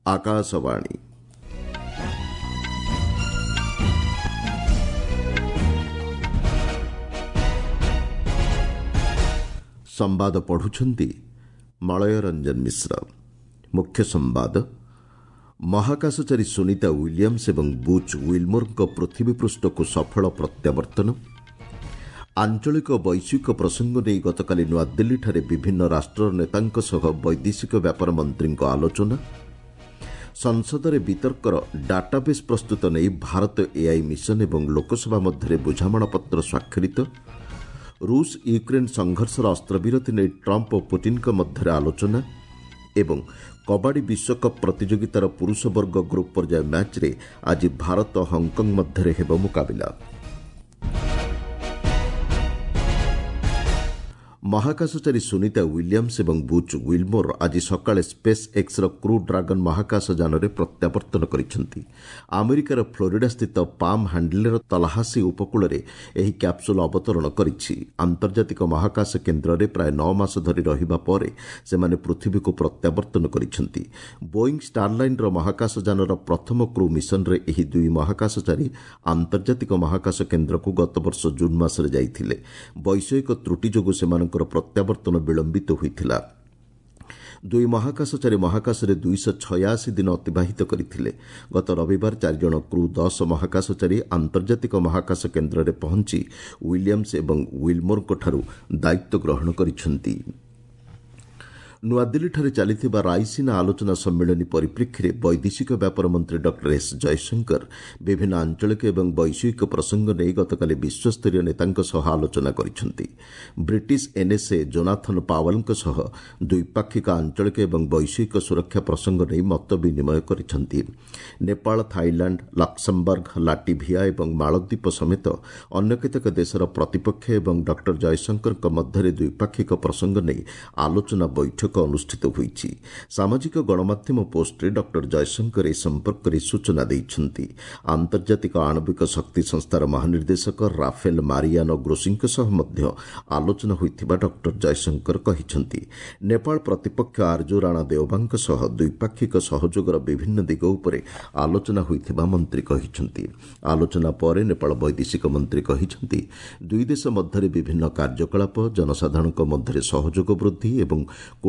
ଆକାଶବାଣୀ। ସମ୍ବାଦ ପଢୁଛନ୍ତି ମଳୟ ରଞ୍ଜନ ମିଶ୍ର। ମୁଖ୍ୟ ସମ୍ବାଦ। ମହାକାଶଚାରୀ ସୁନିତା ୱିଲିୟମ୍ସ ଏବଂ ବୁଚ୍ ୱିଲ୍ମୋରଙ୍କ ପୃଥିବୀ ପୃଷ୍ଠକୁ ସଫଳ ପ୍ରତ୍ୟାବର୍ତ୍ତନ। ଆଞ୍ଚଳିକ ବୈଶ୍ୱିକ ପ୍ରସଙ୍ଗ ନେଇ ଗତକାଲି ନୂଆଦିଲ୍ଲୀଠାରେ ବିଭିନ୍ନ ରାଷ୍ଟ୍ରର ନେତାଙ୍କ ସହ ବୈଦେଶିକ ବ୍ୟାପାର ମନ୍ତ୍ରୀଙ୍କ ଆଲୋଚନା। ସଂସଦରେ ବିତର୍କର ଡାଟାବେସ୍ ପ୍ରସ୍ତୁତ ନେଇ ଭାରତ ଏଆଇ ମିଶନ ଏବଂ ଲୋକସଭା ମଧ୍ୟରେ ବୁଝାମଣାପତ୍ର ସ୍ୱାକ୍ଷରିତ। ରୁଷ ୟୁକ୍ରେନ୍ ସଂଘର୍ଷର ଅସ୍ତ୍ରବିରତି ନେଇ ଟ୍ରମ୍ପ ଓ ପୁଟିନ୍ଙ୍କ ମଧ୍ୟରେ ଆଲୋଚନା। ଏବଂ କବାଡ଼ି ବିଶ୍ୱକପ୍ ପ୍ରତିଯୋଗିତାର ପୁରୁଷ ବର୍ଗ ଗ୍ରୁପ୍ ପର୍ଯ୍ୟାୟ ମ୍ୟାଚ୍ରେ ଆଜି ଭାରତ ହଂକଂ ମଧ୍ୟରେ ହେବ ମୁକାବିଲା। ମହାକାଶଚାରୀ ସୁନିତା ୱିଲିୟମ୍ସ ଏବଂ ବୁଚ୍ ୱିଲ୍ମୋର ଆଜି ସକାଳେ ସ୍ପେସ୍ ଏକ୍ସର କ୍ରୁ ଡ୍ରାଗନ୍ ମହାକାଶ ଯାନରେ ପ୍ରତ୍ୟାବର୍ତ୍ତନ କରିଛନ୍ତି। ଆମେରିକାର ଫ୍ଲୋରିଡାସ୍ଥିତ ପାମ୍ ହ୍ୟାଣ୍ଡେଲ୍ର ତଲାହାସି ଉପକୂଳରେ ଏହି କ୍ୟାପ୍ସୁଲ୍ ଅବତରଣ କରିଛି। ଆନ୍ତର୍ଜାତିକ ମହାକାଶ କେନ୍ଦ୍ରରେ ପ୍ରାୟ 9 ମାସ ଧରି ରହିବା ପରେ ସେମାନେ ପୃଥିବୀକୁ ପ୍ରତ୍ୟାବର୍ତ୍ତନ କରିଛନ୍ତି। ବୋଇଂ ଷ୍ଟାରଲାଇନର ମହାକାଶ ଯାନର ପ୍ରଥମ କ୍ରୁ ମିଶନରେ ଏହି ଦୁଇ ମହାକାଶଚାରୀ ଆନ୍ତର୍ଜାତିକ ମହାକାଶ କେନ୍ଦ୍ରକୁ ଗତବର୍ଷ ଜୁନ୍ ମାସରେ ଯାଇଥିଲେ। ବୈଷୟିକ ତ୍ରୁଟି ଯୋଗୁଁ ସେମାନଙ୍କ ପ୍ରତ୍ୟାବର୍ତ୍ତନ ବିଳମ୍ବିତ ହୋଇଥିଲା। ଦୁଇ ମହାକାଶଚାରୀ ମହାକାଶରେ 286 ଦିନ ଅତିବାହିତ କରିଥିଲେ। ଗତ ରବିବାର 4 ଜଣ କ୍ରୁ 10 ମହାକାଶଚାରୀ ଆନ୍ତର୍ଜାତିକ ମହାକାଶ କେନ୍ଦ୍ରରେ ପହଞ୍ଚି ୱିଲିୟମ୍ସ ଏବଂ ୱିଲ୍ମୋରଙ୍କଠାରୁ ଦାୟିତ୍ୱ ଗ୍ରହଣ କରିଛନ୍ତି। ନୂଆଦିଲ୍ଲୀଠାରେ ଚାଲିଥିବା ରାଇସିନା ଆଲୋଚନା ସମ୍ମିଳନୀ ପରିପ୍ରେକ୍ଷୀରେ ବୈଦେଶିକ ବ୍ୟାପାର ମନ୍ତ୍ରୀ ଡକ୍ଟର ଏସ୍ ଜୟଶଙ୍କର ବିଭିନ୍ନ ଆଞ୍ଚଳିକ ଏବଂ ବୈଶ୍ୱିକ ପ୍ରସଙ୍ଗ ନେଇ ଗତକାଲି ବିଶ୍ୱସ୍ତରୀୟ ନେତାଙ୍କ ସହ ଆଲୋଚନା କରିଛନ୍ତି। ବ୍ରିଟିଶ ଏନ୍ଏସ୍ଏ ଜୋନାଥନ୍ ପାୱେଲ୍ଙ୍କ ସହ ଦ୍ୱିପାକ୍ଷିକ, ଆଞ୍ଚଳିକ ଏବଂ ବୈଶ୍ୱିକ ସୁରକ୍ଷା ପ୍ରସଙ୍ଗ ନେଇ ମତ ବିନିମୟ କରିଛନ୍ତି। ନେପାଳ, ଥାଇଲାଣ୍ଡ, ଲକ୍ସମବର୍ଗ, ଲାଟିଭିଆ ଏବଂ ମାଳଦ୍ୱୀପ ସମେତ ଅନ୍ୟ କେତେକ ଦେଶର ପ୍ରତିପକ୍ଷ ଏବଂ ଡକ୍ଟର ଜୟଶଙ୍କରଙ୍କ ମଧ୍ୟରେ ଦ୍ୱିପାକ୍ଷିକ ପ୍ରସଙ୍ଗ ନେଇ ଆଲୋଚନା ବୈଠକ ଅନୁଷ୍ଠିତ ହୋଇଛି। ସାମାଜିକ ଗଣମାଧ୍ୟମ ପୋଷ୍ଟରେ ଡକ୍ଟର ଜୟଶଙ୍କର ଏ ସମ୍ପର୍କରେ ସୂଚନା ଦେଇଛନ୍ତି। ଆନ୍ତର୍ଜାତିକ ଆଣବିକ ଶକ୍ତି ସଂସ୍ଥାର ମହାନିର୍ଦ୍ଦେଶକ ରାଫେଲ ମାରିଆନୋ ଗ୍ରୋସିଙ୍କ ସହ ମଧ୍ୟ ଆଲୋଚନା ହୋଇଥିବା ଡକ୍ଟର ଜୟଶଙ୍କର କହିଛନ୍ତି। ନେପାଳ ପ୍ରତିପକ୍ଷ ଆର୍ଜୁ ରାଣା ଦେଓବାଙ୍କ ସହ ଦ୍ୱିପାକ୍ଷିକ ସହଯୋଗର ବିଭିନ୍ନ ଦିଗ ଉପରେ ଆଲୋଚନା ହୋଇଥିବା ମନ୍ତ୍ରୀ କହିଛନ୍ତି। ଆଲୋଚନା ପରେ ନେପାଳ ବୈଦେଶିକ ମନ୍ତ୍ରୀ କହିଛନ୍ତି, ଦୁଇ ଦେଶ ମଧ୍ୟରେ ବିଭିନ୍ନ କାର୍ଯ୍ୟକଳାପ, ଜନସାଧାରଣଙ୍କ ମଧ୍ୟରେ ସହଯୋଗ ବୃଦ୍ଧି ଏବଂ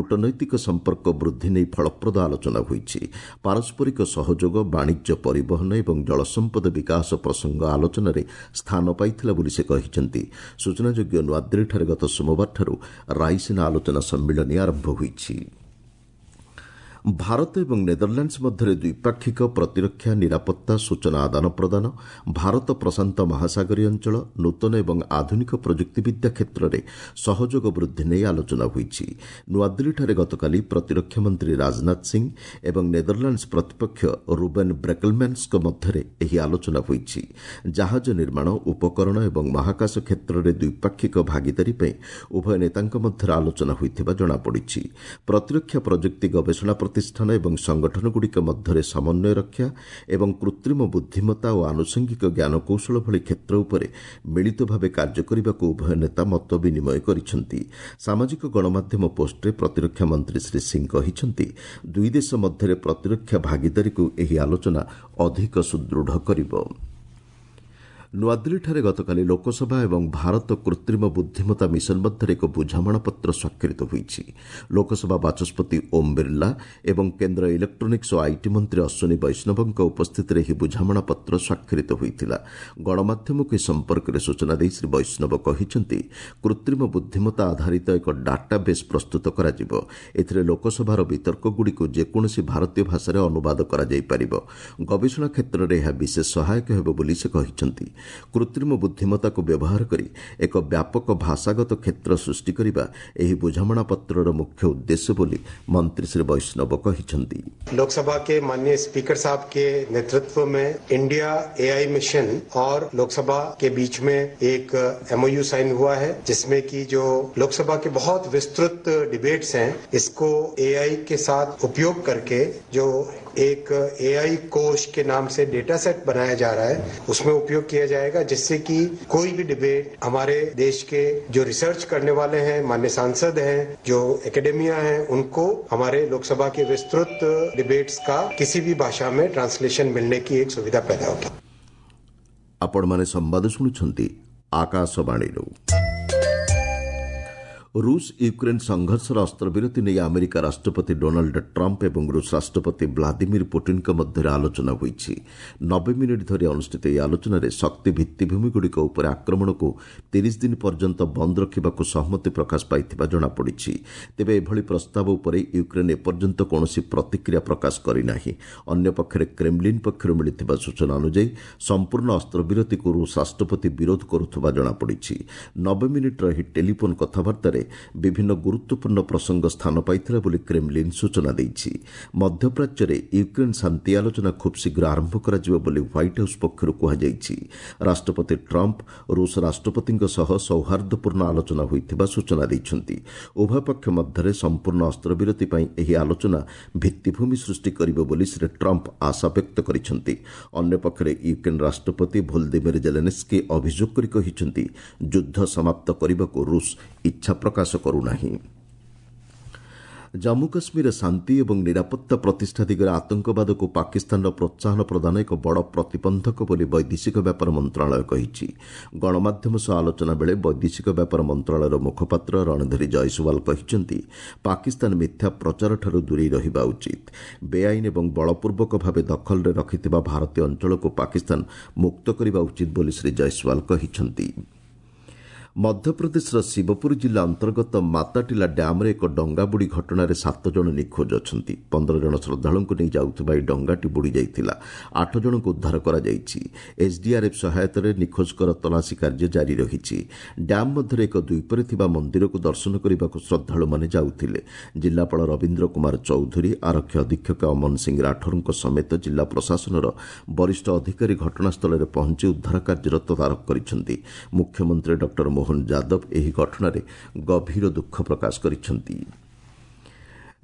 କୂଟନୈତିକ ସମ୍ପର୍କ ବୃଦ୍ଧି ନେଇ ଫଳପ୍ରଦ ଆଲୋଚନା ହୋଇଛି। ପାରସ୍ପରିକ ସହଯୋଗ, ବାଣିଜ୍ୟ, ପରିବହନ ଏବଂ ଜଳସମ୍ପଦ ବିକାଶ ପ୍ରସଙ୍ଗ ଆଲୋଚନାରେ ସ୍ଥାନ ପାଇଥିଲା ବୋଲି ସେ କହିଛନ୍ତି। ସୂଚନାଯୋଗ୍ୟ, ନୂଆଦିଲ୍ଲୀଠାରେ ଗତ ସୋମବାରଠାରୁ ରାଇସିନା ଆଲୋଚନା ସମ୍ମିଳନୀ ଆରମ୍ଭ ହୋଇଛି। ଭାରତ ଏବଂ ନେଦରଲ୍ୟାଣ୍ଡସ୍ ମଧ୍ୟରେ ଦ୍ୱିପାକ୍ଷିକ, ପ୍ରତିରକ୍ଷା, ନିରାପତ୍ତା, ସୂଚନା ଆଦାନ ପ୍ରଦାନ, ଭାରତ ପ୍ରଶାନ୍ତ ମହାସାଗରୀୟ ଅଞ୍ଚଳ, ନୂତନ ଏବଂ ଆଧୁନିକ ପ୍ରଯୁକ୍ତିବିଦ୍ୟା କ୍ଷେତ୍ରରେ ସହଯୋଗ ବୃଦ୍ଧି ନେଇ ଆଲୋଚନା ହୋଇଛି। ନୂଆଦିଲ୍ଲୀଠାରେ ଗତକାଲି ପ୍ରତିରକ୍ଷା ମନ୍ତ୍ରୀ ରାଜନାଥ ସିଂ ଏବଂ ନେଦରଲ୍ୟାଣ୍ଡସ୍ ପ୍ରତିପକ୍ଷ ରୁବେନ୍ ବ୍ରେକଲ୍ମ୍ୟାନ୍ସଙ୍କ ମଧ୍ୟରେ ଏହି ଆଲୋଚନା ହୋଇଛି। ଜାହାଜ ନିର୍ମାଣ, ଉପକରଣ ଏବଂ ମହାକାଶ କ୍ଷେତ୍ରରେ ଦ୍ୱିପାକ୍ଷିକ ଭାଗିଦାରୀ ପାଇଁ ଉଭୟ ନେତାଙ୍କ ମଧ୍ୟରେ ଆଲୋଚନା ହୋଇଥିବା ଜଣାପଡ଼ିଛି। ପ୍ରତିରକ୍ଷା ପ୍ରଯୁକ୍ତି ଗବେଷଣା ପ୍ରତିଷ୍ଠାନ ଏବଂ ସଂଗଠନଗୁଡ଼ିକ ମଧ୍ୟରେ ସମନ୍ୱୟ ରକ୍ଷା ଏବଂ କୃତ୍ରିମ ବୁଦ୍ଧିମତ୍ତା ଓ ଆନୁଷଙ୍ଗିକ ଜ୍ଞାନକୌଶଳ ଭଳି କ୍ଷେତ୍ର ଉପରେ ମିଳିତ ଭାବେ କାର୍ଯ୍ୟ କରିବାକୁ ଉଭୟ ନେତା ମତ ବିନିମୟ କରିଛନ୍ତି। ସାମାଜିକ ଗଣମାଧ୍ୟମ ପୋଷ୍ଟରେ ପ୍ରତିରକ୍ଷା ମନ୍ତ୍ରୀ ଶ୍ରୀ ସିଂ କହିଛନ୍ତି, ଦୁଇ ଦେଶ ମଧ୍ୟରେ ପ୍ରତିରକ୍ଷା ଭାଗିଦାରୀକୁ ଏହି ଆଲୋଚନା ଅଧିକ ସୁଦୃଢ଼ କରିବ। ନୂଆଦିଲ୍ଲୀଠାରେ ଗତକାଲି ଲୋକସଭା ଏବଂ ଭାରତ କୃତ୍ରିମ ବୁଦ୍ଧିମତ୍ତା ମିଶନ ମଧ୍ୟରେ ଏକ ବୁଝାମଣାପତ୍ର ସ୍ୱାକ୍ଷରିତ ହୋଇଛି। ଲୋକସଭା ବାଚସ୍ପତି ଓମ୍ ବିର୍ଲା ଏବଂ କେନ୍ଦ୍ର ଇଲେକ୍ଟ୍ରୋନିକ୍ସ ଓ IT ମନ୍ତ୍ରୀ ଅଶ୍ୱିନୀ ବୈଷ୍ଣବଙ୍କ ଉପସ୍ଥିତିରେ ଏହି ବୁଝାମଣାପତ୍ର ସ୍ୱାକ୍ଷରିତ ହୋଇଥିଲା। ଗଣମାଧ୍ୟମକୁ ଏ ସମ୍ପର୍କରେ ସୂଚନା ଦେଇ ଶ୍ରୀ ବୈଷ୍ଣବ କହିଛନ୍ତି, କୃତ୍ରିମ ବୁଦ୍ଧିମତ୍ତା ଆଧାରିତ ଏକ ଡାଟାବେସ୍ ପ୍ରସ୍ତୁତ କରାଯିବ। ଏଥିରେ ଲୋକସଭାର ବିତର୍କଗୁଡ଼ିକୁ ଯେକୌଣସି ଭାରତୀୟ ଭାଷାରେ ଅନୁବାଦ କରାଯାଇପାରିବ। ଗବେଷଣା କ୍ଷେତ୍ରରେ ଏହା ବିଶେଷ ସହାୟକ ହେବ ବୋଲି ସେ କହିଛନ୍ତି। କୃତ୍ରିମ ବୁଦ୍ଧିମତ୍ତାକୁ ବ୍ୟବହାର କରି ଏକ ବ୍ୟାପକ ଭାଷାଗତ କ୍ଷେତ୍ର ସୃଷ୍ଟି କରିବା ଏହି ବୁଝାମଣାପତ୍ରର ମୁଖ୍ୟ ଉଦ୍ଦେଶ୍ୟ ବୋଲି ମନ୍ତ୍ରୀ ଶ୍ରୀ ବୈଷ୍ଣବ କହିଛନ୍ତି। लोकसभा के माननीय स्पीकर साहब के नेतृत्व में इंडिया एआई मिशन और लोकसभा के बीच में एक एमओयू साइन हुआ है, जिसमें कि जो लोकसभा के बहुत विस्तृत डिबेट्स हैं, इसको एआई के साथ उपयोग करके जो एक एआई कोश के नाम से डेटा सेट बनाया जा रहा है, उसमें उपयोग किया जाएगा, जिससे कि कोई भी डिबेट हमारे देश के जो रिसर्च करने वाले हैं, माननीय सांसद हैं, जो एकेडमिया हैं, उनको हमारे लोकसभा के विस्तृत डिबेट्स का किसी भी भाषा में ट्रांसलेशन मिलने की एक सुविधा पैदा होगी। ଆପଣମାନେ ସମ୍ବାଦ ଶୁଣୁଛନ୍ତି ଆକାଶବାଣୀରୁ। ରୁଷ ୟୁକ୍ରେନ୍ ସଂଘର୍ଷର ଅସ୍ତ୍ରବିରତି ନେଇ ଆମେରିକା ରାଷ୍ଟ୍ରପତି ଡୋନାଲ୍ଡ ଟ୍ରମ୍ପ ଏବଂ ରୁଷ ରାଷ୍ଟ୍ରପତି ଭ୍ଲାଦିମିର ପୁଟିନ୍ଙ୍କ ମଧ୍ୟରେ ଆଲୋଚନା ହୋଇଛି। 90 ମିନିଟ୍ ଧରି ଅନୁଷ୍ଠିତ ଏହି ଆଲୋଚନାରେ ଶକ୍ତି ଭିତ୍ତିଭୂମିଗୁଡ଼ିକ ଉପରେ ଆକ୍ରମଣକୁ 30 ଦିନ ପର୍ଯ୍ୟନ୍ତ ବନ୍ଦ ରଖିବାକୁ ସହମତି ପ୍ରକାଶ ପାଇଥିବା ଜଣାପଡ଼ିଛି। ତେବେ ଏଭଳି ପ୍ରସ୍ତାବ ଉପରେ ୟୁକ୍ରେନ୍ ଏପର୍ଯ୍ୟନ୍ତ କୌଣସି ପ୍ରତିକ୍ରିୟା ପ୍ରକାଶ କରିନାହିଁ। ଅନ୍ୟପକ୍ଷରେ କ୍ରେମଲିନ୍ ପକ୍ଷରୁ ମିଳିଥିବା ସୂଚନା ଅନୁଯାୟୀ ସମ୍ପୂର୍ଣ୍ଣ ଅସ୍ତ୍ରବିରତିକୁ ରୁଷ ରାଷ୍ଟ୍ରପତି ବିରୋଧ କରୁଥିବା ଜଣାପଡ଼ିଛି। 90 ମିନିଟ୍ର ଏହି ଟେଲିଫୋନ୍ କଥାବାର୍ତ୍ତାରେ ବିଭିନ୍ନ ଗୁରୁତ୍ୱପୂର୍ଣ୍ଣ ପ୍ରସଙ୍ଗ ସ୍ଥାନ ପାଇଥିଲା ବୋଲି କ୍ରେମଲିନ୍ ସୂଚନା ଦେଇଛି। ମଧ୍ୟପ୍ରାଚ୍ୟରେ ୟୁକ୍ରେନ୍ ଶାନ୍ତି ଆଲୋଚନା ଖୁବ୍ ଶୀଘ୍ର ଆରମ୍ଭ କରାଯିବ ବୋଲି ହ୍ୱାଇଟ୍ ହାଉସ୍ ପକ୍ଷରୁ କୁହାଯାଇଛି। ରାଷ୍ଟ୍ରପତି ଟ୍ରମ୍ପ ରୁଷ ରାଷ୍ଟ୍ରପତିଙ୍କ ସହ ସୌହାର୍ଦ୍ଦ୍ୟପୂର୍ଣ୍ଣ ଆଲୋଚନା ହୋଇଥିବା ସୂଚନା ଦେଇଛନ୍ତି। ଉଭୟ ପକ୍ଷ ମଧ୍ୟରେ ସମ୍ପୂର୍ଣ୍ଣ ଅସ୍ତ୍ରବିରତି ପାଇଁ ଏହି ଆଲୋଚନା ଭିତ୍ତିଭୂମି ସୃଷ୍ଟି କରିବ ବୋଲି ଶ୍ରୀ ଟ୍ରମ୍ପ ଆଶା ବ୍ୟକ୍ତ କରିଛନ୍ତି। ଅନ୍ୟପକ୍ଷରେ ୟୁକ୍ରେନ୍ ରାଷ୍ଟ୍ରପତି ଭୋଲଦିମିର ଜେଲେନ୍ସ୍କି ଅଭିଯୋଗ କରି କହିଛନ୍ତି, ଯୁଦ୍ଧ ସମାପ୍ତ କରିବାକୁ ରୁଷ ଇଚ୍ଛା ପ୍ରକାଶ କରୁନାହିଁ। ଜାମ୍ମୁ କାଶ୍ମୀରରେ ଶାନ୍ତି ଏବଂ ନିରାପତ୍ତା ପ୍ରତିଷ୍ଠା ଦିଗରେ ଆତଙ୍କବାଦକୁ ପାକିସ୍ତାନର ପ୍ରୋତ୍ସାହନ ପ୍ରଦାନ ଏକ ବଡ଼ ପ୍ରତିବନ୍ଧକ ବୋଲି ବୈଦେଶିକ ବ୍ୟାପାର ମନ୍ତ୍ରଣାଳୟ କହିଛି। ଗଣମାଧ୍ୟମ ସହ ଆଲୋଚନା ବେଳେ ବୈଦେଶିକ ବ୍ୟାପାର ମନ୍ତ୍ରଣାଳୟର ମୁଖପାତ୍ର ରଣଧୀର ଜୟସୱାଲ କହିଛନ୍ତି, ପାକିସ୍ତାନ ମିଥ୍ୟା ପ୍ରଚାରଠାରୁ ଦୂରେଇ ରହିବା ଉଚିତ। ବେଆଇନ ଏବଂ ବଳପୂର୍ବକ ଭାବେ ଦଖଲରେ ରଖିଥିବା ଭାରତୀୟ ଅଞ୍ଚଳକୁ ପାକିସ୍ତାନ ମୁକ୍ତ କରିବା ଉଚିତ ବୋଲି ଶ୍ରୀ ଜୟସୱାଲ କହିଛନ୍ତି। ମଧ୍ୟପ୍ରଦେଶର ଶିବପୁର ଜିଲ୍ଲା ଅନ୍ତର୍ଗତ ମାତାଟିଲା ଡ୍ୟାମ୍ରେ ଏକ ଡଙ୍ଗା ବୁଡ଼ି ଘଟଣାରେ 7 ଜଣ ନିଖୋଜ ଅଛନ୍ତି। 15 ଜଣ ଶ୍ରଦ୍ଧାଳୁଙ୍କୁ ନେଇ ଯାଉଥିବା ଏହି ଡଙ୍ଗାଟି ବୁଡ଼ି ଯାଇଥିଲା। 8 ଜଣଙ୍କୁ ଉଦ୍ଧାର କରାଯାଇଛି। ଏସ୍ଡିଆର୍ଏଫ୍ ସହାୟତାରେ ନିଖୋଜଙ୍କର ତଲାସୀ କାର୍ଯ୍ୟ ଜାରି ରହିଛି। ଡ୍ୟାମ୍ ମଧ୍ୟରେ ଏକ ଦ୍ୱୀପରେ ଥିବା ମନ୍ଦିରକୁ ଦର୍ଶନ କରିବାକୁ ଶ୍ରଦ୍ଧାଳୁମାନେ ଯାଉଥିଲେ। ଜିଲ୍ଲାପାଳ ରବୀନ୍ଦ୍ର କୁମାର ଚୌଧୁରୀ, ଆରକ୍ଷୀ ଅଧୀକ୍ଷକ ଅମନ ସିଂ ରାଠୋରଙ୍କ ସମେତ ଜିଲ୍ଲା ପ୍ରଶାସନର ବରିଷ୍ଠ ଅଧିକାରୀ ଘଟଣାସ୍ଥଳରେ ପହଞ୍ଚି ଉଦ୍ଧାର କାର୍ଯ୍ୟର ତଦାରଖ କରିଛନ୍ତି। ମୁଖ୍ୟମନ୍ତ୍ରୀ ଡକ୍ଟର ମୋହନ ଯାଦବ ଏହି ଘଟଣାରେ ଗଭୀର ଦୁଃଖ ପ୍ରକାଶ କରିଛନ୍ତି।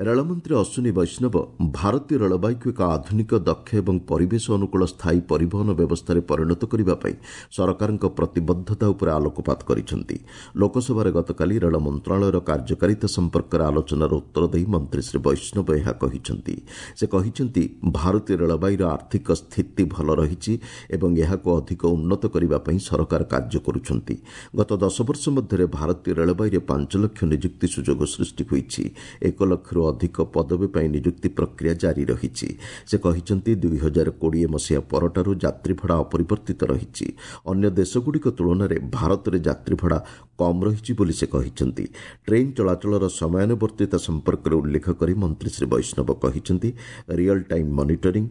ରେଳମନ୍ତ୍ରୀ ଅଶ୍ୱିନୀ ବୈଷ୍ଣବ ଭାରତୀୟ ରେଳବାଇକୁ ଏକ ଆଧୁନିକ, ଦକ୍ଷ ଏବଂ ପରିବେଶ ଅନୁକୂଳ ସ୍ଥାୟୀ ପରିବହନ ବ୍ୟବସ୍ଥାରେ ପରିଣତ କରିବା ପାଇଁ ସରକାରଙ୍କ ପ୍ରତିବଦ୍ଧତା ଉପରେ ଆଲୋକପାତ କରିଛନ୍ତି। ଲୋକସଭାରେ ଗତକାଲି ରେଳ ମନ୍ତ୍ରଣାଳୟର କାର୍ଯ୍ୟକାରିତା ସମ୍ପର୍କରେ ଆଲୋଚନାର ଉତ୍ତର ଦେଇ ମନ୍ତ୍ରୀ ଶ୍ରୀ ବୈଷ୍ଣବ ଏହା କହିଛନ୍ତି। ସେ କହିଛନ୍ତି, ଭାରତୀୟ ରେଳବାଇର ଆର୍ଥିକ ସ୍ଥିତି ଭଲ ରହିଛି ଏବଂ ଏହାକୁ ଅଧିକ ଉନ୍ନତ କରିବା ପାଇଁ ସରକାର କାର୍ଯ୍ୟ କରୁଛନ୍ତି। ଗତ 10 ବର୍ଷ ମଧ୍ୟରେ ଭାରତୀୟ ରେଳବାଇରେ 5 ଲକ୍ଷ ନିଯୁକ୍ତି ସୁଯୋଗ ସୃଷ୍ଟି ହୋଇଛି। 1 ଲକ୍ଷରୁ ଅଧିକ ପଦବୀ ପାଇଁ ନିଯୁକ୍ତି ପ୍ରକ୍ରିୟା ଜାରି ରହିଛି। ସେ କହିଛନ୍ତି, 2020 ମସିହା ପରଠାରୁ ଯାତ୍ରୀ ଭଡ଼ା ଅପରିବର୍ତ୍ତିତ ରହିଛି। ଅନ୍ୟ ଦେଶଗୁଡ଼ିକ ତୁଳନାରେ ଭାରତରେ ଯାତ୍ରୀ ଭଡ଼ା କମ୍ ରହିଛି ବୋଲି ସେ କହିଛନ୍ତି। ଟ୍ରେନ୍ ଚଳାଚଳର ସମୟାନୁବର୍ତ୍ତିତା ସମ୍ପର୍କରେ ଉଲ୍ଲେଖ କରି ମନ୍ତ୍ରୀ ଶ୍ରୀ ବୈଷ୍ଣବ କହିଛନ୍ତି, ରିଅଲ୍ ଟାଇମ୍ ମନିଟରିଂ,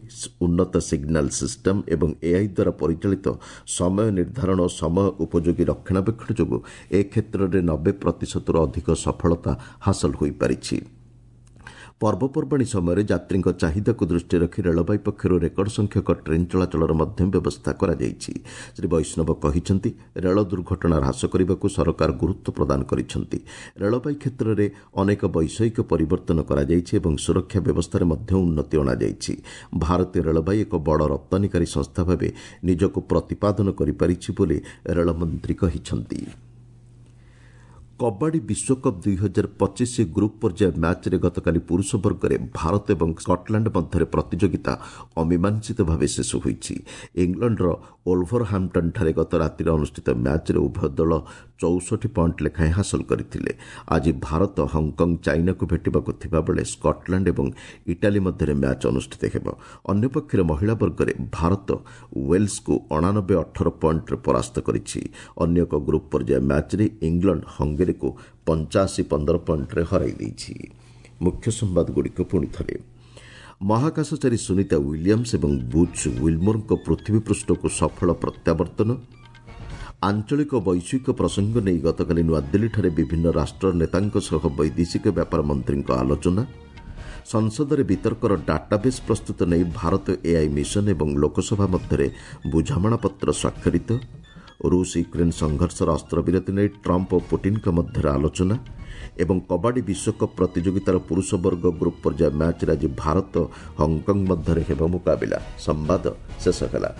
ଉନ୍ନତ ସିଗ୍ନାଲ ସିଷ୍ଟମ୍ ଏବଂ ଏଆଇ ଦ୍ୱାରା ପରିଚାଳିତ ସମୟ ନିର୍ଦ୍ଧାରଣ ଓ ସମୟ ଉପଯୋଗୀ ରକ୍ଷଣାବେକ୍ଷଣ ଯୋଗୁଁ ଏ କ୍ଷେତ୍ରରେ 90%ରୁ ଅଧିକ ସଫଳତା ହାସଲ ହୋଇପାରିଛି। ପର୍ବପର୍ବାଣୀ ସମୟରେ ଯାତ୍ରୀଙ୍କ ଚାହିଦାକୁ ଦୃଷ୍ଟିରେ ରଖି ରେଳବାଇ ପକ୍ଷରୁ ରେକର୍ଡ ସଂଖ୍ୟକ ଟ୍ରେନ୍ ଚଳାଚଳର ମଧ୍ୟ ବ୍ୟବସ୍ଥା କରାଯାଇଛି। ଶ୍ରୀ ବୈଷ୍ଣବ କହିଛନ୍ତି, ରେଳ ଦୁର୍ଘଟଣା ହ୍ରାସ କରିବାକୁ ସରକାର ଗୁରୁତ୍ୱ ପ୍ରଦାନ କରିଛନ୍ତି। ରେଳବାଇ କ୍ଷେତ୍ରରେ ଅନେକ ବୈଷୟିକ ପରିବର୍ତ୍ତନ କରାଯାଇଛି ଏବଂ ସୁରକ୍ଷା ବ୍ୟବସ୍ଥାରେ ମଧ୍ୟ ଉନ୍ନତି ଅଣାଯାଇଛି। ଭାରତୀୟ ରେଳବାଇ ଏକ ବଡ଼ ରପ୍ତାନୀକାରୀ ସଂସ୍ଥା ଭାବେ ନିଜକୁ ପ୍ରତିପାଦନ କରିପାରିଛି ବୋଲି ରେଳମନ୍ତ୍ରୀ କହିଛନ୍ତି। କବାଡି ବିଶ୍ୱକପ୍ 2025 ଗ୍ରୁପ୍ ପର୍ଯ୍ୟାୟ ମ୍ୟାଚ୍ରେ ଗତକାଲି ପୁରୁଷ ବର୍ଗରେ ଭାରତ ଏବଂ ସ୍କଟଲାଣ୍ଡ ମଧ୍ୟରେ ପ୍ରତିଯୋଗିତା ଅମୀମାଂସିତ ଭାବେ ଶେଷ ହୋଇଛି। ଇଂଲଣ୍ଡର ଓଲଭରହାମ୍ପଟନ୍ଠାରେ ଗତ ରାତିରେ ଅନୁଷ୍ଠିତ ମ୍ୟାଚ୍ରେ ଉଭୟ ଦଳ 64 ପଏଣ୍ଟ ଲେଖାଏଁ ହାସଲ କରିଥିଲେ। ଆଜି ଭାରତ ହଂକଂ ଚାଇନାକୁ ଭେଟିବାକୁ ଥିବାବେଳେ ସ୍କଟଲାଣ୍ଡ ଏବଂ ଇଟାଲୀ ମଧ୍ୟରେ ମ୍ୟାଚ୍ ଅନୁଷ୍ଠିତ ହେବ। ଅନ୍ୟପକ୍ଷରେ ମହିଳା ବର୍ଗରେ ଭାରତ ୱେଲ୍ସକୁ 89-18 ପଏଣ୍ଟରେ ପରାସ୍ତ କରିଛି। ଅନ୍ୟ ଏକ ଗ୍ରୁପ୍ ପର୍ଯ୍ୟାୟ ମ୍ୟାଚ୍ରେ ଇଂଲଣ୍ଡ ହଙ୍ଗେରୀକୁ 85-15 ପଏଣ୍ଟରେ ହରାଇ ଦେଇଛି। ମୁଖ୍ୟ ସମ୍ବାଦଗୁଡ଼ିକ ପୁଣି ଥରେ। ମହାକାଶଚାରୀ ସୁନିତା ୱିଲିୟମ୍ସ ଏବଂ ବୁଚ୍ ୱିଲ୍ମୋରଙ୍କ ପୃଥିବୀ ପୃଷ୍ଠକୁ ସଫଳ ପ୍ରତ୍ୟାବର୍ତ୍ତନ। ଆଞ୍ଚଳିକ ବୈଶ୍ୱିକ ପ୍ରସଙ୍ଗ ନେଇ ଗତକାଲି ନୂଆଦିଲ୍ଲୀଠାରେ ବିଭିନ୍ନ ରାଷ୍ଟ୍ର ନେତାଙ୍କ ସହ ବୈଦେଶିକ ବ୍ୟାପାର ମନ୍ତ୍ରୀଙ୍କ ଆଲୋଚନା। ସଂସଦରେ ବିତର୍କର ଡାଟାବେସ୍ ପ୍ରସ୍ତୁତ ନେଇ ଭାରତ ଏଆଇ ମିଶନ ଏବଂ ଲୋକସଭା ମଧ୍ୟରେ ବୁଝାମଣାପତ୍ର ସ୍ୱାକ୍ଷରିତ। ରୁଷ ୟୁକ୍ରେନ୍ ସଂଘର୍ଷର ଅସ୍ତ୍ରବିରତି ନେଇ ଟ୍ରମ୍ପ ଓ ପୁଟିନ୍ଙ୍କ ମଧ୍ୟରେ ଆଲୋଚନା। ଏବଂ କବାଡ଼ି ବିଶ୍ୱକପ୍ ପ୍ରତିଯୋଗିତାର ପୁରୁଷ ବର୍ଗ ଗ୍ରୁପ୍ ପର୍ଯ୍ୟାୟ ମ୍ୟାଚ୍ରେ ଆଜି ଭାରତ ହଂକଂ ମଧ୍ୟରେ ହେବ ମୁକାବିଲା। ସମ୍ବାଦ ଶେଷ ହେଲା।